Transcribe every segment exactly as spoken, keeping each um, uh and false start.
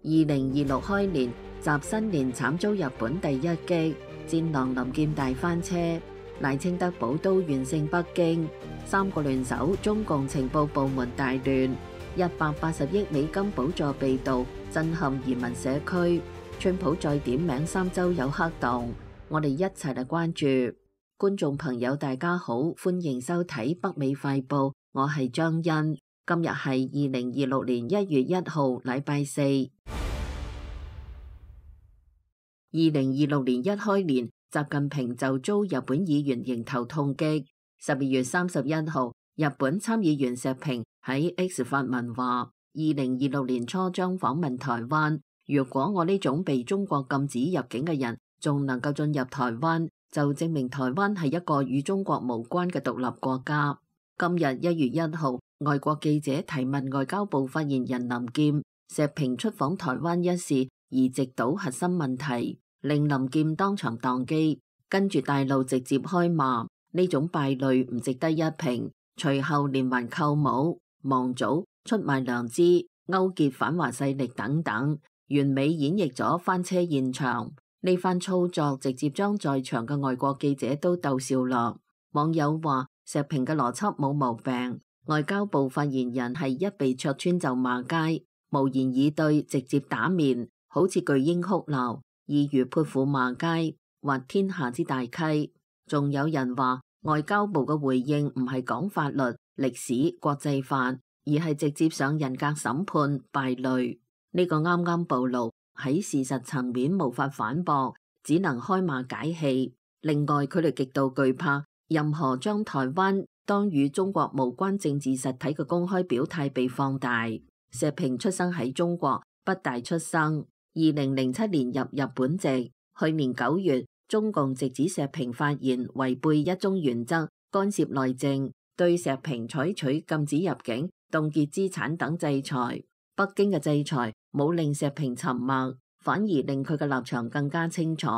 二零二六開年，習新年慘遭日本第一擊，戰狼林劍大翻車，賴清德寶刀完勝北京，三個聯手，中共情報部門大亂，一百八十億美金補助被盜，震撼移民社區。川普再點名三州有黑洞，我哋一齊嚟關注。觀眾朋友大家好，歡迎收睇北美快報，我係張欣。今日係二零二六年一月一號，禮拜四。二零二六年一開年，習近平就遭日本議員迎頭痛擊。十二月三十一號，日本參議員石平喺 X 發文話：二零二六年初將訪問台灣。如果我呢種被中國禁止入境嘅人仲能夠進入台灣，就證明台灣係一個與中國無關嘅獨立國家。今日一月一號，外國記者提問外交部發言人林劍，石平出訪台灣一事而直搗核心問題，令林劍當場宕機，跟住大陸直接開罵，呢種敗類唔值得一評。隨後連環扣帽、亡祖、出賣良知、勾結反華勢力等等，完美演繹咗翻車現場。呢番操作直接將在場嘅外國記者都逗笑啦。網友話石平嘅邏輯冇毛病，外交部發言人係一被戳穿就罵街，無言以對，直接打面，好似巨嬰哭鬧，意如潑婦罵街，或天下之大稽。仲有人話外交部嘅回應唔係講法律、歷史、國際法，而係直接上人格審判，敗類。呢、這個啱啱暴露，喺事實層面無法反駁，只能開罵解氣。另外，佢哋極度懼怕任何將台灣當與中國無關政治實體嘅公開表態被放大。石平出生喺中國，北大出生，二零零七年入日本籍。去年九月，中共直指石平發言違背一中原則，干涉內政，對石平採取禁止入境、凍結資產等制裁。北京嘅制裁冇令石平沉默，反而令佢嘅立場更加清楚。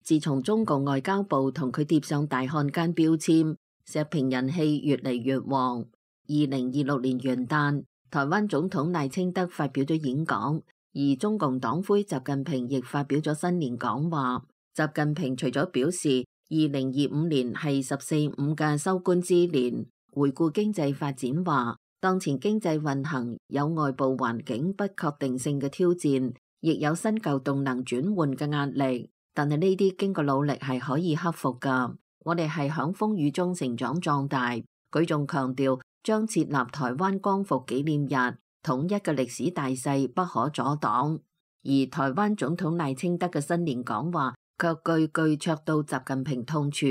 自從中共外交部同佢貼上大漢奸標籤，石平人氣越嚟越旺。二零二六年元旦，台灣總統賴清德發表咗演講，而中共黨魁習近平亦發表咗新年講話。習近平除咗表示二零二五年係十四五嘅收官之年，回顧經濟發展話，當前經濟運行有外部環境不確定性嘅挑戰，亦有新舊動能轉換嘅壓力，但係呢啲經過努力係可以克服㗎。我哋係響風雨中成長壯大。佢仲強調將設立台灣光復紀念日，統一嘅歷史大勢不可阻擋。而台灣總統賴清德嘅新年講話卻句句戳到習近平痛處。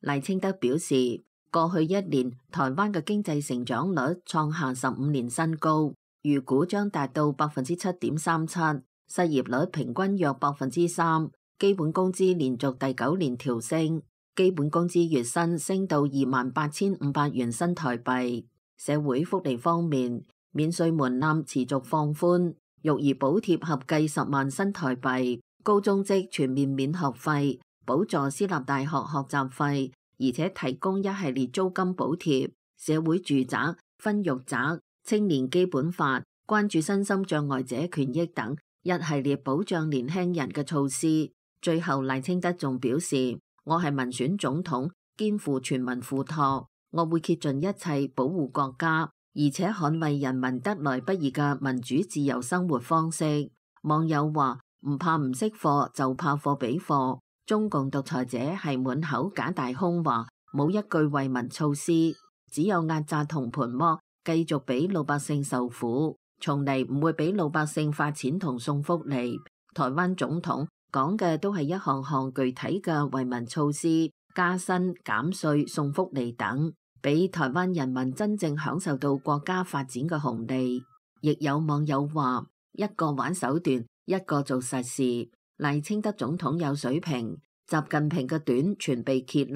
賴清德表示，過去一年台灣嘅經濟成長率創下十五年新高，預估將達到百分之七點三七，失業率平均約百分之三，基本工資連續第九年調升，基本工資月薪升到二萬八千五百元新台幣。社會福利方面，免稅門檻持續放寬，育兒補貼合計十萬新台幣，高中職全面免學費，補助私立大學學習費，而且提供一系列租金補貼，社會住宅、分育宅、青年基本法、關注身心障礙者權益等一系列保障年輕人嘅措施。最後賴清德仲表示，我係民選總統，肩負全民付託，我會竭盡一切保護國家，而且捍衛人民得來不易嘅民主自由生活方式。網友話唔怕唔識貨，就怕貨比貨。中共獨裁者係滿口假大空話，冇一句為民措施，只有壓榨同盤剝，繼續俾老百姓受苦，從嚟唔會俾老百姓發錢同送福利。台灣總統講嘅都係一項項具體嘅為民措施，加薪、減稅、送福利等，俾台灣人民真正享受到國家發展嘅紅利。亦有網友話，一個玩手段，一個做實事。賴清德總統有水平，習近平嘅短全被揭立。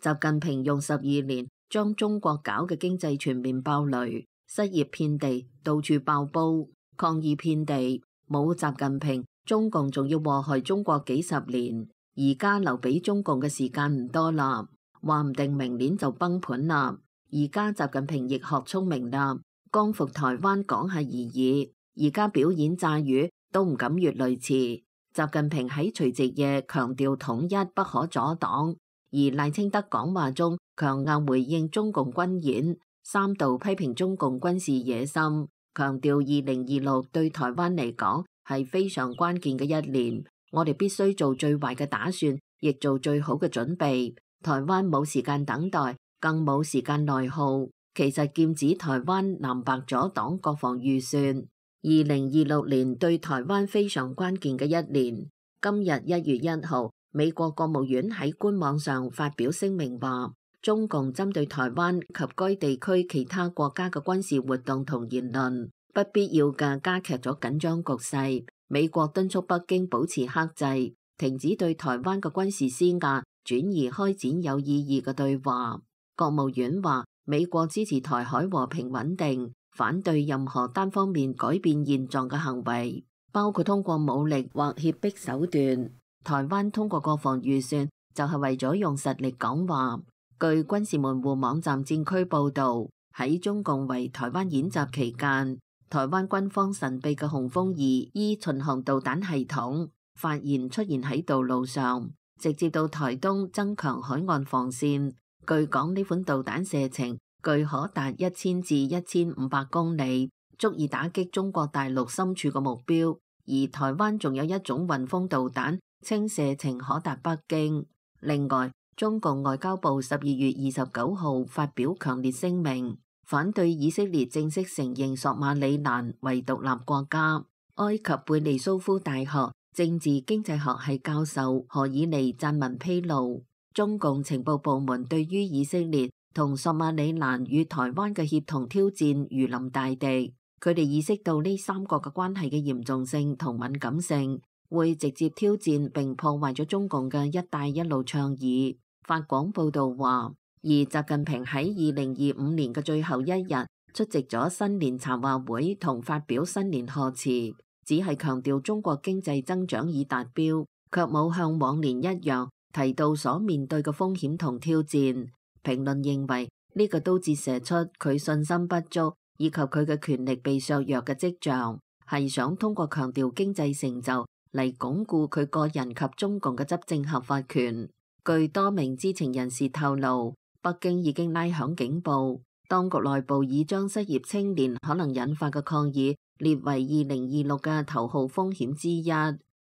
習近平用十二年將中國搞嘅經濟全面爆雷，失業遍地，到處爆煲，抗議遍地。冇習近平，中共仲要禍害中國幾十年。而家留俾中共嘅時間唔多啦，話唔定明年就崩盤啦。而家習近平亦學聰明啦，光復台灣講下而已。而家表演炸魚，都唔敢越雷池。習近平喺除夕夜強調統一不可阻擋，而賴清德講話中強硬回應中共軍演，三度批評中共軍事野心，強調二零二六對台灣嚟講係非常關鍵嘅一年，我哋必須做最壞嘅打算，亦做最好嘅準備。台灣冇時間等待，更冇時間內耗。其實劍指台灣藍白左黨國防預算。二零二六年對台灣非常關鍵嘅一年。今日一月一號，美國國務院喺官網上發表聲明話，中共針對台灣及該地區其他國家嘅軍事活動同言論，不必要嘅加劇咗緊張局勢。美國敦促北京保持克制，停止對台灣嘅軍事施壓，轉而開展有意義嘅對話。國務院話，美國支持台海和平穩定，反對任何單方面改變現狀嘅行為，包括通過武力或脅迫手段。台灣通過國防預算就係為咗用實力講話。據軍事門戶網站戰區報導，喺中共圍台灣演習期間，台灣軍方神秘嘅雄風二 E 巡航導彈系統發現出現喺道路上，直接到台東增強海岸防線。據講呢款導彈射程據可達一千至一千五百公里，足以打擊中國大陸深處嘅目標。而台灣仲有一種雲峰導彈，稱射程可達北京。另外，中共外交部十二月二十九號發表強烈聲明，反對以色列正式承認索馬里蘭為獨立國家。埃及貝利蘇夫大學政治經濟學系教授何爾尼撰文披露，中共情報部門對於以色列同索馬里蘭與台灣嘅協同挑戰如臨大敵，佢哋意識到呢三國嘅關係嘅嚴重性同敏感性，會直接挑戰並破壞咗中共嘅一帶一路倡議。法廣報道話，而習近平喺二零二五年嘅最後一日出席咗新年茶話會同發表新年賀詞，只係強調中國經濟增長已達標，卻冇向往年一樣提到所面對嘅風險同挑戰。評論認為呢個都折射出佢信心不足以及佢嘅權力被削弱嘅跡象，係想通過強調經濟成就嚟鞏固佢個人及中共嘅執政合法權。據多名知情人士透露，北京已經拉響警報，當局內部已將失業青年可能引發嘅抗議列為二零二六嘅頭號風險之一，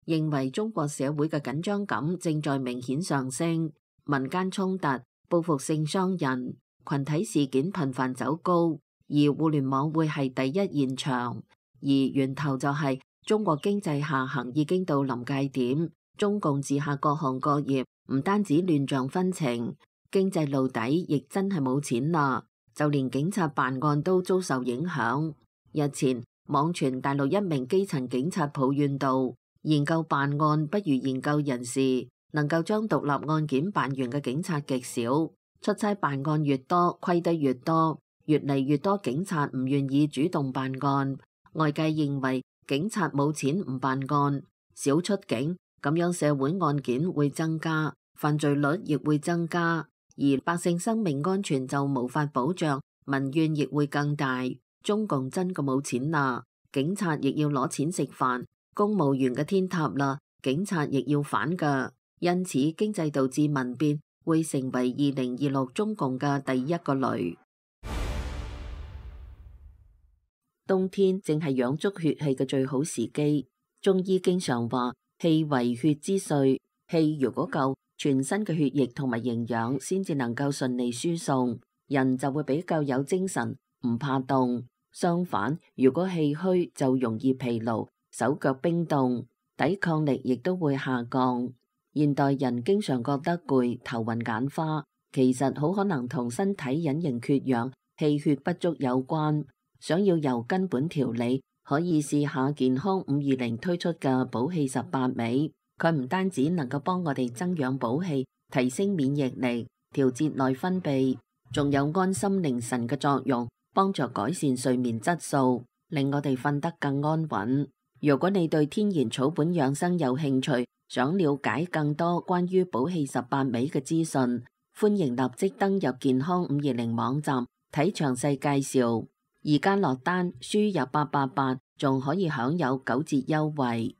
認為中國社會嘅緊張感正在明顯上升，民間衝突、報復性傷人、群體事件頻繁走高，而互聯網會係第一現場，而源頭就係中國經濟下行已經到臨界點，中共治下各行各業唔單止亂象紛呈，經濟露底亦真係冇錢啦，就連警察辦案都遭受影響。日前網傳大陸一名基層警察抱怨道，研究辦案不如研究人事，能夠將獨立案件辦完嘅警察極少，出差辦案越多虧得越多，越嚟越多警察唔願意主動辦案。外界認為警察冇錢唔辦案，少出警，咁樣社會案件會增加，犯罪率亦會增加，而百姓生命安全就無法保障，民怨亦會更大。中共真嘅冇錢啦，警察亦要攞錢食飯，公務員嘅天塌啦，警察亦要反㗎。因此經濟導致民變會成為二零二六中共嘅第一個雷。冬天正係養足血氣嘅最好時機，中醫經常話氣為血之髓，氣如果夠，全身嘅血液同埋營養先至能夠順利輸送，人就會比較有精神，唔怕凍。相反，如果氣虛就容易疲勞，手腳冰凍，抵抗力亦都會下降。現代人經常覺得攰、頭暈眼花，其實好可能同身體隱形缺氧、氣血不足有關。想要由根本調理，可以試下健康五二零推出嘅補氣十八味。佢唔單止能夠幫我哋增養補氣、提升免疫力、調節內分泌，仲有安心寧神嘅作用，幫助改善睡眠質素，令我哋瞓得更安穩。如果你對天然草本養生有興趣，想了解更多關於補氣十八味嘅資訊，歡迎立即登入健康五二零網站睇詳細介紹。而家落單輸入八八八仲可以享有九折優惠。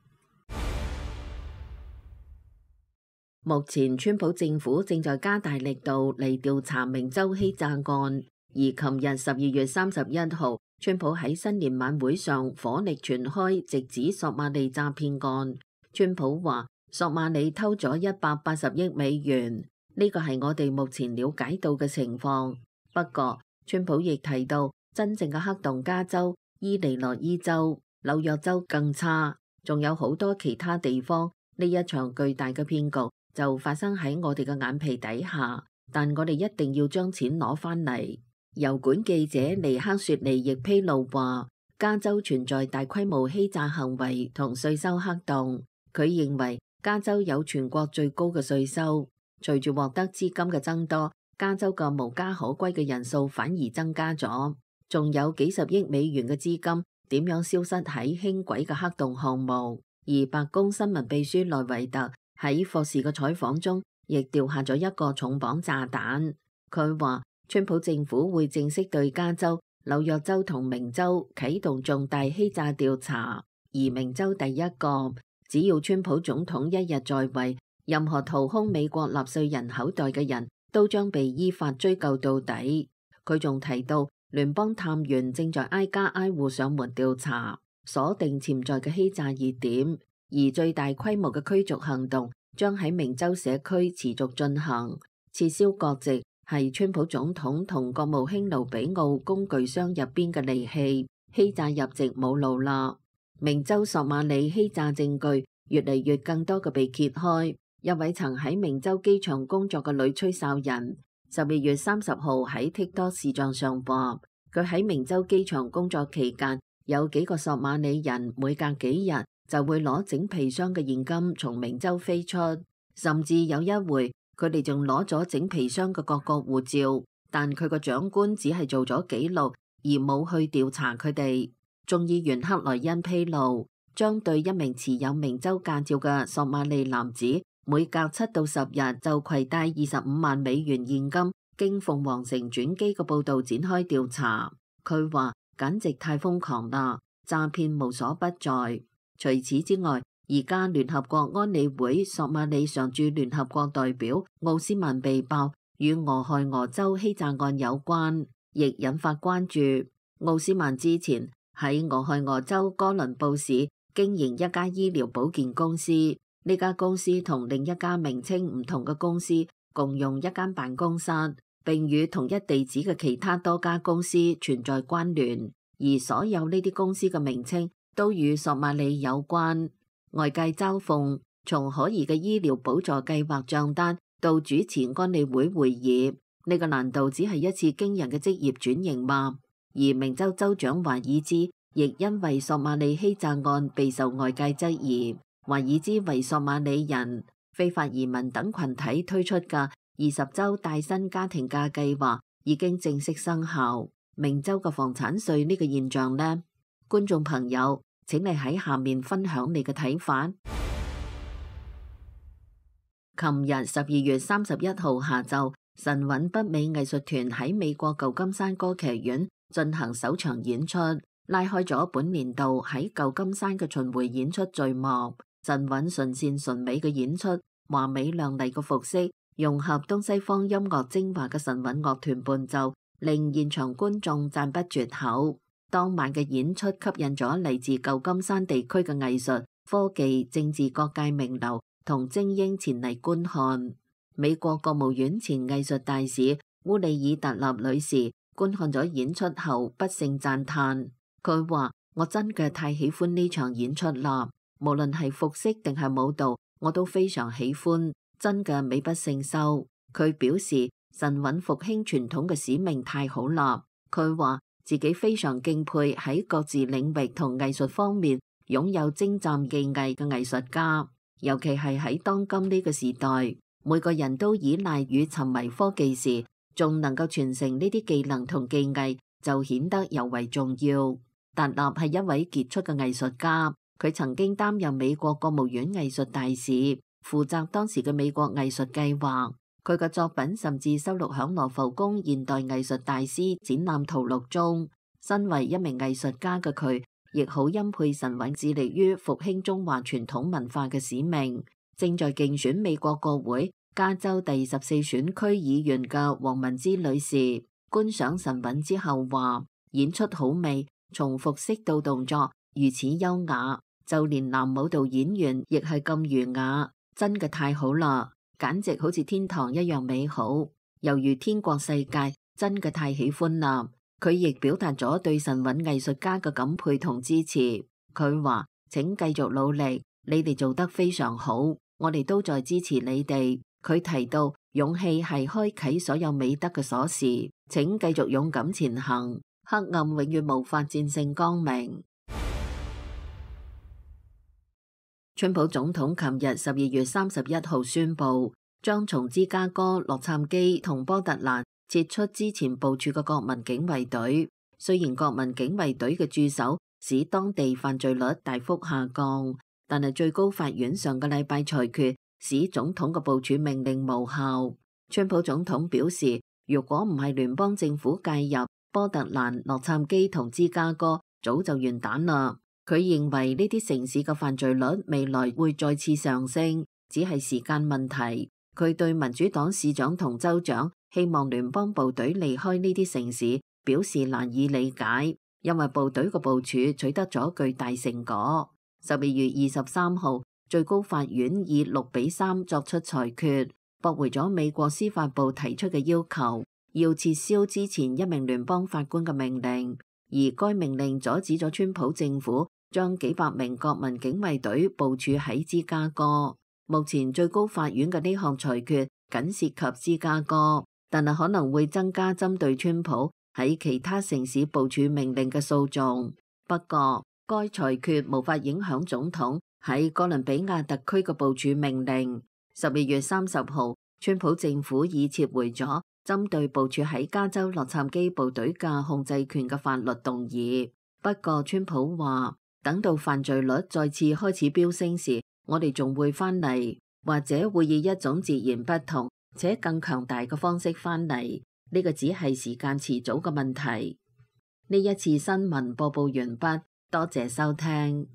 目前，川普政府正在加大力度嚟調查明州欺詐案，而琴日十二月三十一號，川普喺新年晚會上火力全開，直指索馬里詐騙案。川普話：索馬里偷咗一百八十億美元，呢個係我哋目前了解到嘅情況。不過，川普亦提到，真正嘅黑洞加州、伊利諾伊州、紐約州更差，仲有好多其他地方。呢一場巨大嘅騙局就發生喺我哋嘅眼皮底下，但我哋一定要將錢攞返嚟。油管記者尼克雪尼亦披露話，加州存在大規模欺詐行為同稅收黑洞。佢認為加州有全國最高嘅稅收。隨住獲得資金嘅增多，加州嘅無家可歸嘅人數反而增加咗。仲有幾十億美元嘅資金點樣消失喺輕軌嘅黑洞項目？而白宮新聞秘書萊維特喺霍士嘅採訪中，亦掉下咗一個重磅炸彈。佢話，川普政府會正式對加州、紐約州同明州啟動重大欺詐調查，而明州第一個，只要川普總統一日在位，任何掏空美國納稅人口袋嘅人都將被依法追究到底。佢仲提到，聯邦探員正在挨家挨戶上門調查，鎖定潛在嘅欺詐熱點，而最大規模嘅驅逐行動將喺明州社區持續進行。撤銷國籍係川普總統同國務卿盧比奧工具箱入邊嘅利器，欺詐入籍冇路啦。明州索馬里欺詐證據越嚟越更多嘅被揭開。一位曾喺明州機場工作嘅女吹哨人，十二月三十號喺 TikTok 視像上話，佢喺明州機場工作期間，有幾個索馬里人每隔幾日就會攞整皮箱嘅現金從明州飛出，甚至有一回佢哋仲攞咗整皮箱嘅各國護照，但佢個長官只係做咗記錄而冇去調查佢哋。眾議員克萊恩披露，將對一名持有明州駕照嘅索馬里男子，每隔七到十日就攜帶二十五萬美元現金經鳳凰城轉機嘅報導展開調查。佢話簡直太瘋狂啦，詐騙無所不在。除此之外，而家聯合國安理會索馬里常駐聯合國代表奧斯曼被爆與俄亥俄州欺詐案有關，亦引發關注。奧斯曼之前喺俄亥俄州哥倫布市經營一家醫療保健公司，呢家公司同另一家名稱唔同嘅公司共用一間辦公室，並與同一地址嘅其他多家公司存在關聯，而所有呢啲公司嘅名稱都與索馬里有關。外界嘲諷，從可疑嘅醫療補助計劃賬單到主持安理會會議，呢個難道只係一次驚人嘅職業轉型嗎？而明州州長華爾茲亦因為索馬里欺詐案備受外界質疑。華爾茲為索馬里人、非法移民等群體推出嘅二十周帶薪家庭假計劃已經正式生效。明州嘅房產稅呢個現象呢？觀眾朋友，請你喺下面分享你嘅睇法。琴日十二月三十一號下晝，神韻北美藝術團喺美國舊金山歌劇院進行首場演出，拉開咗本年度喺舊金山嘅巡迴演出序幕。神韻純善純美嘅演出，華美亮麗嘅服飾，融合東西方音樂精華嘅神韻樂團伴奏，令現場觀眾讚不絕口。當晚嘅演出吸引咗嚟自舊金山地區嘅藝術、科技、政治各界名流同精英前嚟觀看。美國國務院前藝術大使烏里爾特納女士觀看咗演出後不勝讚嘆，佢話：我真嘅太喜歡呢場演出啦，無論係服飾定係舞蹈，我都非常喜歡，真嘅美不勝收。佢表示神韻復興傳統嘅使命太好啦，佢話自己非常敬佩喺各自領域同藝術方面擁有精湛技藝嘅藝術家，尤其係喺當今呢個時代，每個人都依賴與沉迷科技時，仲能夠傳承呢啲技能同技藝，就顯得尤為重要。達納係一位傑出嘅藝術家，佢曾經擔任美國國務院藝術大使，負責當時嘅美國藝術計劃。佢嘅作品甚至收錄響羅浮宮現代藝術大師展覽圖錄中。身為一名藝術家嘅佢，亦好欽佩晨韻致力於復興中華傳統文化嘅使命。正在競選美國國會加州第十四選區議員嘅黃文芝女士觀賞晨韻之後話：演出好美，從服飾到動作如此優雅，就連男舞蹈演員亦係咁儒雅，真嘅太好啦，簡直好似天堂一樣美好，猶如天國世界，真嘅太喜歡啦。佢亦表達咗對晨韻藝術家嘅感佩同支持。佢話：請繼續努力，你哋做得非常好，我哋都在支持你哋。佢提到勇氣係開啟所有美德嘅鎖匙，請繼續勇敢前行，黑暗永遠無法戰勝光明。川普總統琴日十二月三十一號宣布，將從芝加哥、洛杉磯同波特蘭撤出之前部署嘅國民警衛隊。雖然國民警衛隊嘅駐守使當地犯罪率大幅下降，但係最高法院上個禮拜裁決使總統嘅部署命令無效。川普總統表示，如果唔係聯邦政府介入，波特蘭、洛杉磯同芝加哥早就完蛋啦。佢認為呢啲城市嘅犯罪率未來會再次上升，只係時間問題。佢對民主黨市長同州長希望聯邦部隊離開呢啲城市表示難以理解，因為部隊嘅部署取得咗巨大成果。十二月二十三號，最高法院以六比三作出裁決，駁回咗美國司法部提出嘅要求，要撤銷之前一名聯邦法官嘅命令，而該命令阻止咗川普政府將幾百名國民警衛隊部署喺芝加哥。目前最高法院嘅呢項裁決僅涉及芝加哥，但係可能會增加針對川普喺其他城市部署命令嘅訴訟。不過，該裁決無法影響總統喺哥倫比亞特區嘅部署命令。十二月三十號，川普政府已撤回咗針對部署喺加州洛杉磯部隊嘅控制權嘅法律動議。不過，川普話等到犯罪率再次開始飆升時，我哋仲會返嚟，或者會以一種截然不同且更強大嘅方式返嚟。呢個只係時間遲早嘅問題。呢一次新聞播報完畢，多謝收聽。